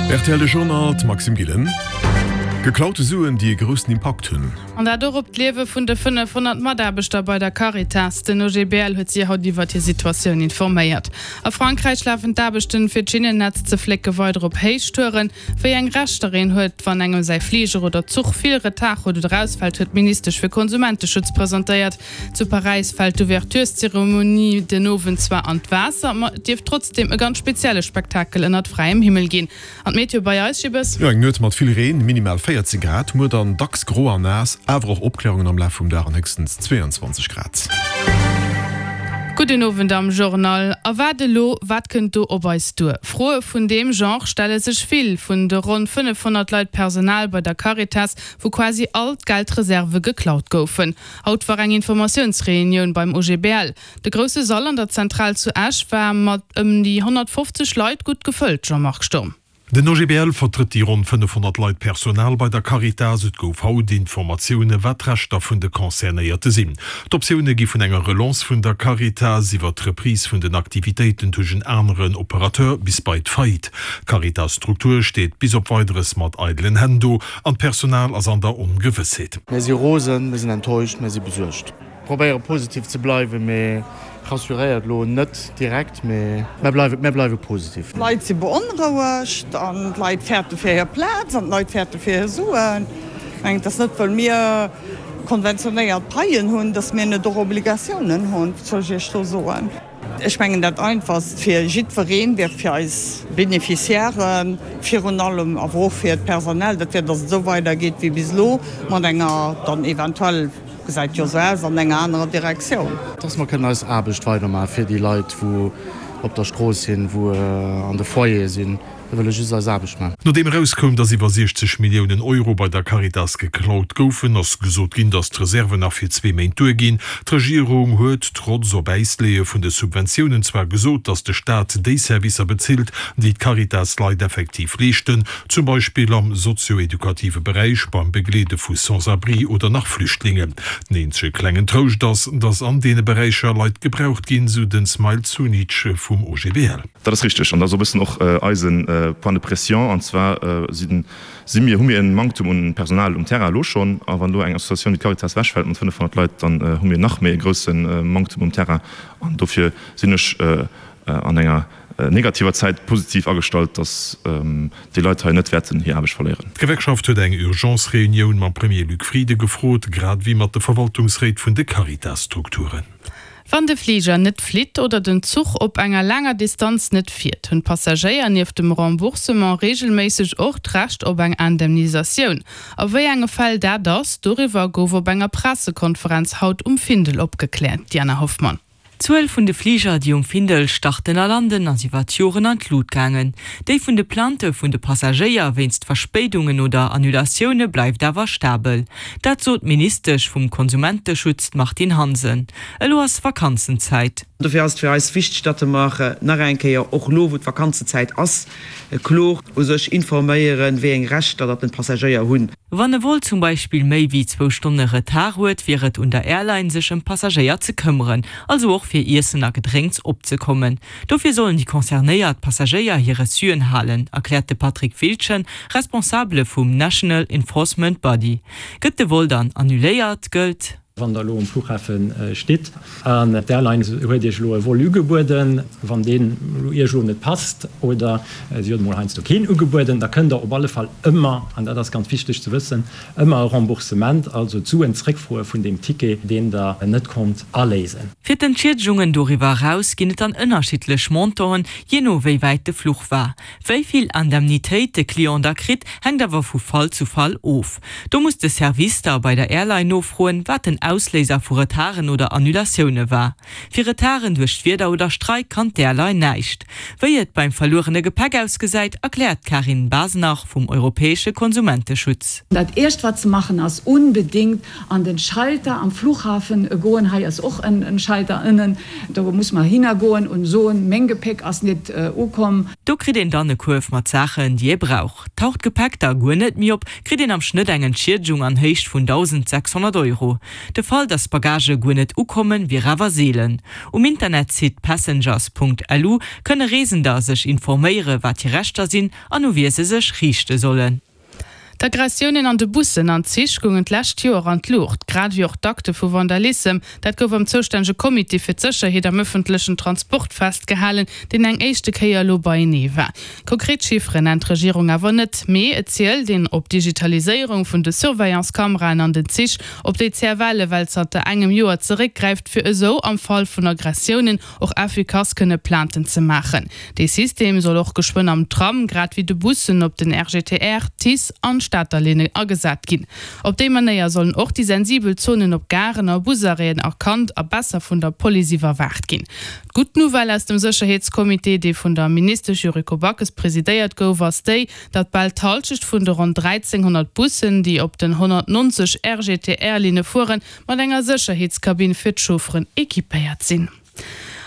Rtl De Journal, d'Maxime Gillen. Geklaute Suen, déi e groussen Impakt hunn. An dat och op d'Liewe vun de 500 Mataarbechter bei der Caritas. Den OGBL huet si haut iwwert hir Situatioun informéiert. A Frankräich lafen d'Aarbechten, fir d'Schinnennetz ze flécke weider op Héichtouren. Wéi eng Rechter een huet, wann engem säi Fliger oder Zuch vill Retard huet oder ausfält, huet d'Ministesch fir Konsumenteschutz presentéiert. Zu Paräis fält d'Ouvertureszeremonie den Owend zwar an d'Waasser, ma et dierft trotzdeem e ganz spezielle Spektakel ënnert fräiem Himmel ginn. An d'Meteo bei eis, Jibbes? Jo, eng Nuet mat vill Reen, minimal 14 Grad, muer dann dacks gro an naass, awer och Opklärungen am Laf vum Dag an héchstens 22 Grad. Gudden Owend am Journal. A wat elo? Wat kënnt do op eis duer? Froe vun deem Genre stelle sech vill vun de ronn 500 Leit Personal bei der Caritas, wou quasi all d'Geldreserve geklaut goufen. Haut war eng Informatiounsreunioun beim OGBL. De grousse Sall an der Zentral zu Esch war mat ëm déi 150 Leit gutt gefëllt, Jean-Marc Sturm. Den OGBL vertrëtt déi ronn 500 Leit Personal bei der Caritas. Et gouf haut Informatioune wat d'Rechter vun de Concernéierte sinn. D'Optioune gi vun enger Relance vun der Caritas iwwer d'Reprise vun den Aktivitéiten duerch en aneren Operateur bis bei d'Faillite. D'Caritas-Struktur steet bis op Weideres mat eidelen Hänn do an d'Personal ass an der Ongewëssheet. Mir si rosen, mir sinn enttäuscht, mir si besuergt. Probéiere positiv ze bleiwen, mee rassuréiert elo net direkt, mee mär bleiwe, mär bleiwe positiv. D'Leit si beonrouegt an d'Leit fäerte fir hir Plaz an d'Leit fäerte fir hir Suen. Ech mengen, et ass net, wëll mir konventionéiert Paien hunn, datt mir net och Obligatiounen hunn. Wat soll ech Iech do soen? Ech mengen, dat Einfachst fir jiddwereen wär, fir eis Beneficiairen virun allem, awer och fir d'Personal, dat wär, datt et esou weidergeet wéi bis elo, mat enger dann eventuell, gesäit jo esou aus, an enger anerer Direktioun. Dass mer kënnen eis Aarbecht weidermaache fir déi Leit, wou op der Strooss sinn, wou an de Foyere sinn. Mir wëlle just eis Aarbecht maachen. Nodeem erauskoum, datt iwwer 60 Milliounen Euro bei der Caritas geklaut goufen, ass gesot ginn, datt d'Reserven nach fir zwee Méint duerginn. D'Regierung huet, trotz op Äis leeë vun de Subventiounen, zwar gesot, datt de Staat déi Servicer bezilt, déi d'Caritas-Leit effektiv leeschten, zum Beispill am sozio-edukative Beräich, beim Begleede vu Sans-abri oder nach Flüchtlingen. Den eenzege klengen Trouscht ass, datt an deene Beräicher Leit gebraucht ginn, sou den Smail Zunic vum OGBL. Dat ass richteg an dat ass och e bëssen och eise Point de pression. An zwar si mir, hu mir e Manktum un Personal um Terrain elo schonn. A wann elo eng Associatioun wéi d'Caritas ewechfält mat 500 Leit, dann hu mir nach méi e grousse Manktum um Terrain. An dofir sinn ech an enger negativer Zäit positiv agestallt, datt déi Leit hei net wäerten hir Aarbecht verléieren. D'Gewerkschaft huet eng Urgence-Reunioun mam Premier Luc Frieden gefrot, grad ewéi mat de Verwaltungsréit vun de Caritas-Strukturen. Wann de Fliger net flitt oder den Zuch op enger laanger Distanz net fiert, hunn d'Passagéier nieft dem Remboursement reegelméisseg och d'Recht op eng Indemnisatioun. A wéi enge Fäll dat ass, doriwwer gouf op enger Pressekonferenz haut um Findel opgekläert. Diana Hoffmann. D'Zuel vun de Fliger, déi um Findel starten a landen, ass iwwer d'Joren an d'Lut gaangen. Déi vun de Plaintë vun de Passagéier wéinst Verspéidungen oder Annulatioune bleift awer stabel. Dat sot d'Ministesch vum Konsumenteschutz, d'Martine Hansen. Elo ass Vakanzenzäit. Dofir ass et fir eis wichteg, datt mer nach eng Kéier, och elo wou d'Vakanzenzäit ass, kloer u sech informéieren, wéi eng Rechter datt den Passagéier hunn. Wann e Vol zum Beispill méi wéi zwou Stonne Retard huet, wier et un der Airline, sech ëm d'Passagéier ze këmmeren, also och fir Iessen a Gedrénks opzekommen. Dofir sollen déi concernéiert Passagéier hir Reçuen halen, erkläert de Patrick Wildgen, Responsabele vum National Enforcement Body. Gëtt de Vol dann annuléiert, gëllt. Wann der elo um Flughafe stitt an d'Airline huet Iech elo e Vol ugebueden, wann deen Iech elo net passt oder si huet emol heiansdo keen ugebueden, da kënnt der op alle Fall ëmmer, an dat ass ganz wichteg ze wëssen, ëmmer e Remboursement, also d'Suen zréckfroe vun deem Ticket, deen der net konnt aléisen. Fir d'Entschiedegunge doriwwer eraus ginn et dann ënnerschiddlech Montanten, jee no wéi wäit de Fluch war. Wéi vill Indemnitéit de Client da kritt, hänkt awer vu Fall zu Fall of. Do muss de Service da bei der Airline nofroen, wat den Ausléiser vu Retarden oder Annulatioune war. Fir Retarden duerch d'Wieder oder Streik kann d'Airline näischt. Wéi et beim verluerene Gepäck ausgesäit, erkläert d'Karin Basenach vum europäesche Konsumenteschutz. Dat éischt wat ze maachen ass, unbedingt an den Schalter am Flughafen goen, hei ass och en Schalter ënnen, do muss mer hinner goen und soen, meng Gepäck ass net ukomm. Do kritt een dann e Kuerf mat Saachen, déi ee brauch. Taucht d'Gepäck da guer net méi op, kritt een am Schnëtt eng Entschiedegung an Héicht vun 1.600 Euro. De Fall, datt Bagagë guer net ukommen, wier awer seelen. Um Internetsite passengers.lu kënne Reesender sech informéiere wat hir Rechter sinn an u wie se sech riichte sollen. D'Aggressiounen an de Bussen an Zich goungen d'lescht Joer an d'Luucht, grad ewéi och d'Akte vu Vandalissem. Dat gouf am zoustännege Comité fir d'Sécherheet am ëffentlechen Transport festgehalen, deen eng éischte Kéier elo beienee war. Konkret Chifferen nennt d'Regierung awer net, mee et zielt een op d'Digitaliséierung vun de Surveillance-Kameraen an den Zich, op déi d'CFL ewell zanter engem Joer zeréckgräift, fir esou am Fall vun Aggressiounen och effikass kënne Plainten ze maachen. Dee System soll och geschwënn am Tram, grad wéi de Bussen, op den RGTR, TICE an Stater Linne agesat ginn. Op déi Manéier sollen och déi sensibel Zonen op Garen a Busarrêten erkannt a besser vun der Police iwwerwaacht ginn. D'gutt Nouvelle aus dem Sécherheetscomité, dee vun der Ministesch Yuriko Backes presidéiert gouf, ass déi, datt bal d'Halschecht vun de ronn 1.300 Bussen, déi op den 190 RGTR-Linne fueren, mat enger Sécherheetskabinn fir d'Chaufferen equipéiert sinn.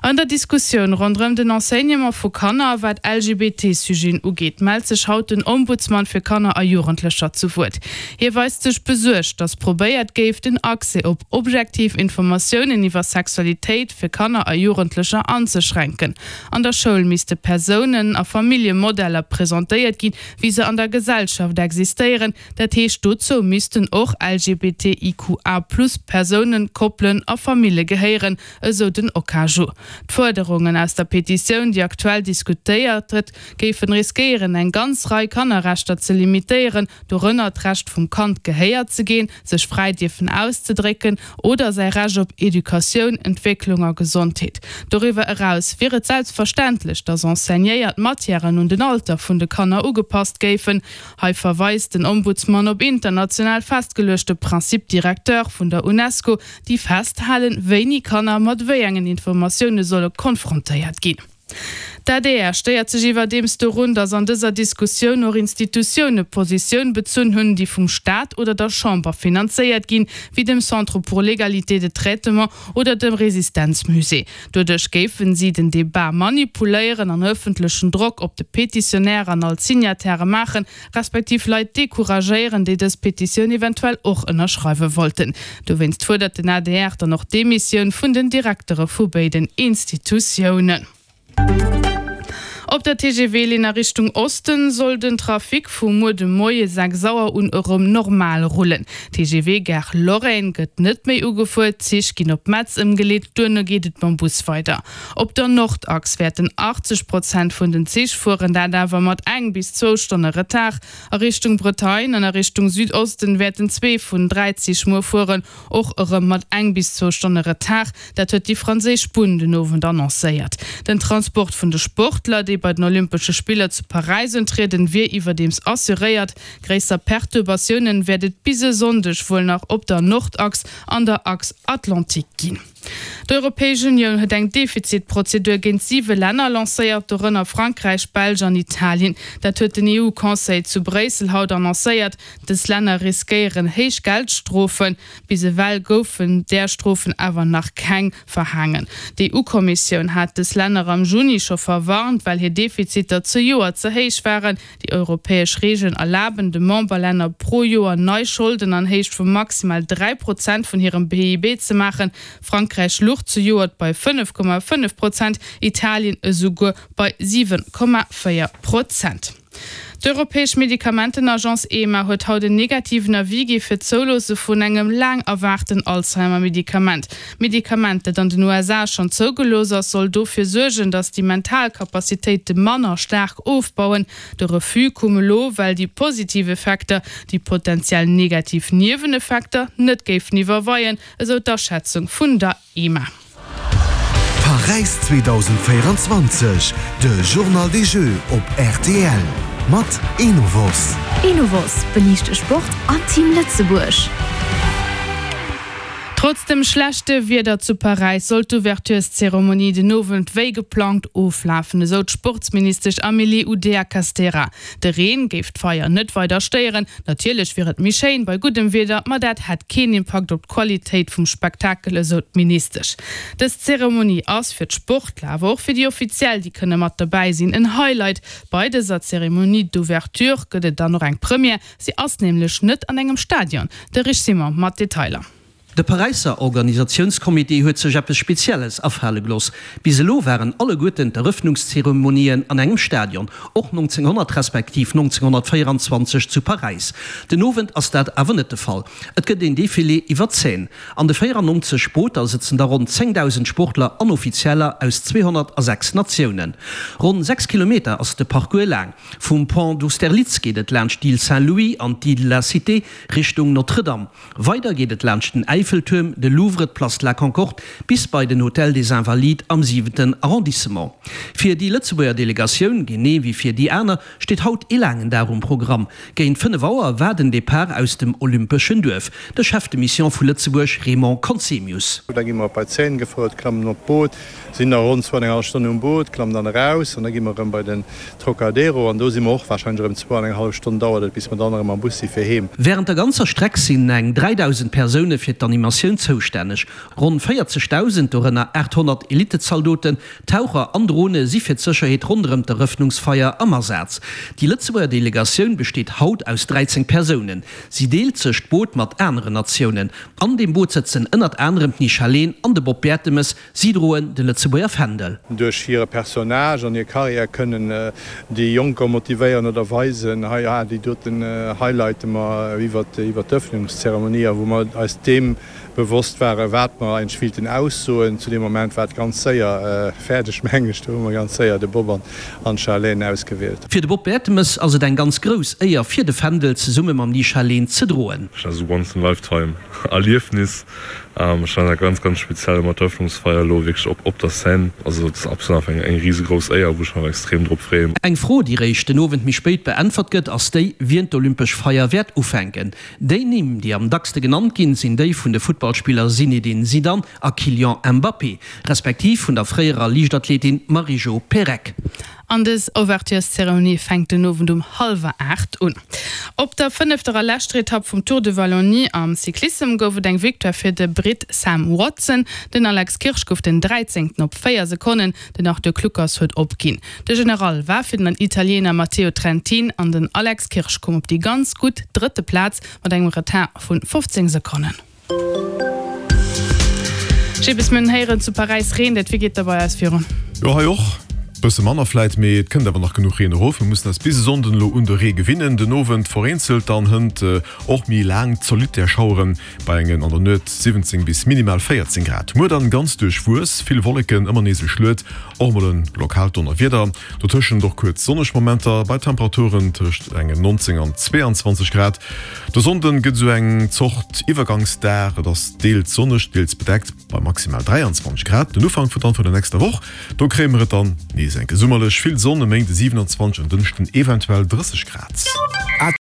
An der Diskussioun ronderëm den Enseignement vu Kanner, wat LGBT-Sujeten ugeet, mellt sech haut den Ombudsman fir Kanner a Jugendlecher zu Wuert. Hie weist sech besuergt, datt probéiert géif, den Accès op objektiv Informatiounen iwwer Sexualitéit fir Kanner a Jugendlecher anzeschränken. An der Schoul misste Persounen a Familljemodeller presentéiert ginn, wéi se an der Gesellschaft existéieren, Dat heescht, dozou missten och LGBTIQA plus Persounen, Koppelen a Famille gehéieren, esou den Okaju. D'Fuerderungen aus der Petitioun, déi aktuell diskutéiert gëtt, géifen riskéieren, eng ganz Rei Kannerrechter ze limitéieren, dorënner d'Recht vum Kand gehéiert ze ginn, sech fräi dierfen auszedrécken oder säi Recht op Educatioun, Entwécklung a Gesondheet. Doriwwer eraus wier et selbstverständlech, datt enseignéiert Matièren un den Alter vun de Kanner ugepasst géifen. Hei verweist den Ombudsman op international festgeluechte Principes directeurs vun der Unesco, déi festhalen, wéini Kanner mat wéi engen Informatioune solle konfrontéiert ginn. D'ADR stéiert sech iwwerdeems dorun, datt an dëser Diskussioun och Institutioune Positioun bezunn hunn, déi vum Staat oder der Chamber finanzéiert ginn, wéi dem Centre pour l'égalité de traitement oder dem Resistenzmusée. Doduerch géifen si den Debat manipuléieren an ëffentlechen Drock op de Petitionnaire an all d'Signataire maachen, respektiv Leit decouragéieren, déi dës Petitioun eventuell och ënnerschreiwe wollten. Dowéinst fuerdert den adr dann och d'Demissioun vun den Direktere vu béiden Institutiounen. Op der TGV-Linn a Richtung Osten soll den Trafic vu muer de Moie 6 Auer un erëm normal rullen. D'TGV-Gare Lorraine gëtt net méi ugefuer, d'Zich ginn op Metz ëmgeleet, duerno geet et mam Bus weider. Op der Nordachs wäerten 80 Prozent vun den Zich fueren, dat awer mat eng bis zwou Stonne Retard. A Richtung Bretagne an a Richtung Südosten wäerten zwee vun 3 Zich muer fueren, och erëm mat eng bis zwou Stonne Retard. Dat huet déi franséisch Bunn den Owend annoncéiert. Den Transport vun de Sportler, déi bei den Olympesche Spiller zu Paräis untrieden, wier iwwerdeems assuréiert. Gréisser Perturbatiounen wäert et bis e Sonndeg wuel nach op der Nordachs an der Achs Atlantique ginn. D'Europäesch Unioun huet eng Defizitprozedur géint siwe Länner lancéiert, dorënner Frankräich, Belsch an Italien. Dat huet den EU-Conseil zu Bréissel haut annoncéiert. Dës Länner riskéieren héich Geldstrofen. Bis ewell goufen där Strofen awer nach keng verhaangen. D'EU-Kommissioun hat dës Länner am Juni scho verwarnt, well hir Defiziter zejoert ze héich waren. Déi europäesch Reegelen erlaben de Memberlänner pro Joer nei Scholden an Héicht vu maximal 3 Prozent vun hirem PIB ze maachen. Frankräich luch zejoert bei 5,5 Prozent, Italien esouguer bei 7,4 Prozent. D'Europäesch Medikamentenagence EMA huet haut en negativen Avis gi fir d'Zouloosse vun engem laang erwaarten Alzheimer-Medikament. D'Medikament, dat an den USA schonn zougelooss ass, soll dofir suergen, datt déi mental Capacitéite manner staark ofbauen. De Refus koum elo, well déi positiv Effekter déi potenziell negativ Nieweneffekter net géifen iwwerweien, esou d'Aschätzung vun der EMA. Paräis 2024, de Journal des Jeux op rtl mat Enovos. Enovos beliicht de Sport an Team Lëtzebuerg. Trotz dem schlechte Wieder zu Paräis soll d'Ouvertureszeremonie den Owend wéi geplangt oflafen, esou d'Sportsministesch Amélie Oudéa-Castéra. De Reen géif d'Feier net weider stéieren. Natierlech wier et méi schéin bei guddem Wieder, ma dat hätt keen Impakt op d'Qualitéit vum Spektakel, esou d'Ministesch. Dës Zeremonie ass fir d'Sportler, awer och fir déi Offiziell, déi kënne mat dobäi sinn, en Highlight. Bei dëser Cérémonie d'ouverture gëtt et dann och eng Première, si ass nämlech net an engem Stadion. De Rich Simon mat Detailer. De Paräisser Organisatiounscomité huet sech eppes Spezielles afale geloss. Bis elo waren alleguerten d'Erëffnungszeremonien an engem Stadion, och 1900 respektiv 1924 zu Paräis. Den Owend ass dat awer net de Fall. Et gëtt een Defilé iwwer d'Seine. An de 94 Booter sëtzen da ronn 10.000 Sportler an Offizieller aus 206 Natiounen. Ronn 6 Kilometer ass de Parcours laang. Vum Pont d'Austerlitz geet et laanscht d'Île Saint-Louis an d'Île de la Cité Richtung Notre-Dame. Weider geet et laanscht den Äiffeltuerm, de Louvre, d'Place de la Concorde bis bei den Hotel des Invalides am siwenten Arrondissement. Fir déi Lëtzebuerger Delegatioun, genee wéi fir déi aner, steet haut ee laangen Dag um Programm. Géint 5 Auer war den Depart aus dem Olympeschen Duerf. De Chef de Mission vu Lëtzebuerg Raymond Conzemius. Da gi mer bei d'Seine gefouert, klammen op d'Boot, sinn da ronn zwou an eng hallef Stonn um Boot, klammen dann eraus an da gi mer erëm bei den Trocadero an do si mer och warscheinlech erëm zwou an eng hallef Stonn dauert et, bis mer dann erëm am Bus si fir heem. Wärend der ganzer Streck sinn eng 3.000 Persoune fir d'Animatioun zoustänneg. Ronn 40.000, dorënner 800 Elitezaldoten, Taucher an Drone si fir d'Sécherheet ronderëm d'Erëffnungsfeier am Asaz. Déi Lëtzebuerger Delegatioun besteet haut aus 13 Persounen. Si deelt sech d'Boot mat aneren Natiounen. An deem Boot sëtzen ënnert anerem d'Nisha Leen an de Bob Bertemes. Si droen de Lëtzebuerger Fändel. Duerch hire Personnage an hir Carrière kënnen déi Jonker motivéieren oder weisen, hei, ah, déi doten highlighte mer iwwert d'Ëffnungszeremonie a wou mer eis deem bewosst waren, wat mer eigentlech willten aussoen. Zu deem Moment war et ganz séier fäerdeg, mengen ech. Do hu mer ganz séier de Bob an d'Charlène ausgewielt. Fir de Bob Bertemes ass et eng ganz grouss Éier, fir de Fändel zesumme mam Ni-Charlène ze droen. Dat ass e once in a lifetime Erliefnis. Ech fannen dat ganz, ganz speziell mat der Eröffnungsfeier elo wierklech op op der Scène. Also et ass absolut einfach eng eng risegrouss Éier, wou ech mech extrem drop freeën. Eng Fro, déi réischt den Owend méi spéit beäntwert gëtt, ass déi, wien d'olympesch Feier wäert ufänken. Déi Nimm, déi am dackste genannt ginn, sinn déi vun de Futtballspiller Zinedine Zidane a Kylian Mbappé, respektiv vun der fréierer Liichtathletin Marie-Jo Pérec. An dës Ouvertureszeremonie fänkt den Owend um hallwer 8 un. Op der fënnefter a leschter Etapp vum Tour de Wallonie am Cyclissem gouf et eng Victoire fir de Britt Sam Watson. Den Alex Kirsch gouf den Dräizéngten op 4 Sekonnen. Den Arthur Kluckers huet opginn. De General war fir den Italiener Matteo Trentin an den Alex Kirsch koum op déi ganz gutt drëtte Plaz mat engem Retard vu 15 Sekonnen. Jibbes, mir hunn héieren, zu Paräis reent et. Wéi geet da bei eis virun? Jo, hei och. Bësse manner vläit, mee et kënnt awer nach genuch Reen erof. Mir mussen eis bis e Sonnden elo un de Ree gewinnen. Den Owend vereenzelt, dann hënt och méi laang zolidd Schaueren bei engen an der Nuet 17 bis minimal 14 Grad. Muer dann ganz duerchwuess, vill Wolleken, ëmmer nees e Schluet, och mol en lokaalt Donnerwieder, dotëschent och kuerz sonneg Momenter bei Temperaturen tëscht engen 19 an 22 Grad. De Sonnden gëtt esou eng Zort Iwwergangsdag, et ass deels sonneg, deels bedeckt bei maximal 23 Grad. Den Ufank vun dann vun der nächster Woch, do kréie mer et dann nees enke summerlech, vill Sonn, e Méinde 27, en Dënschden eventuell 30 Grad.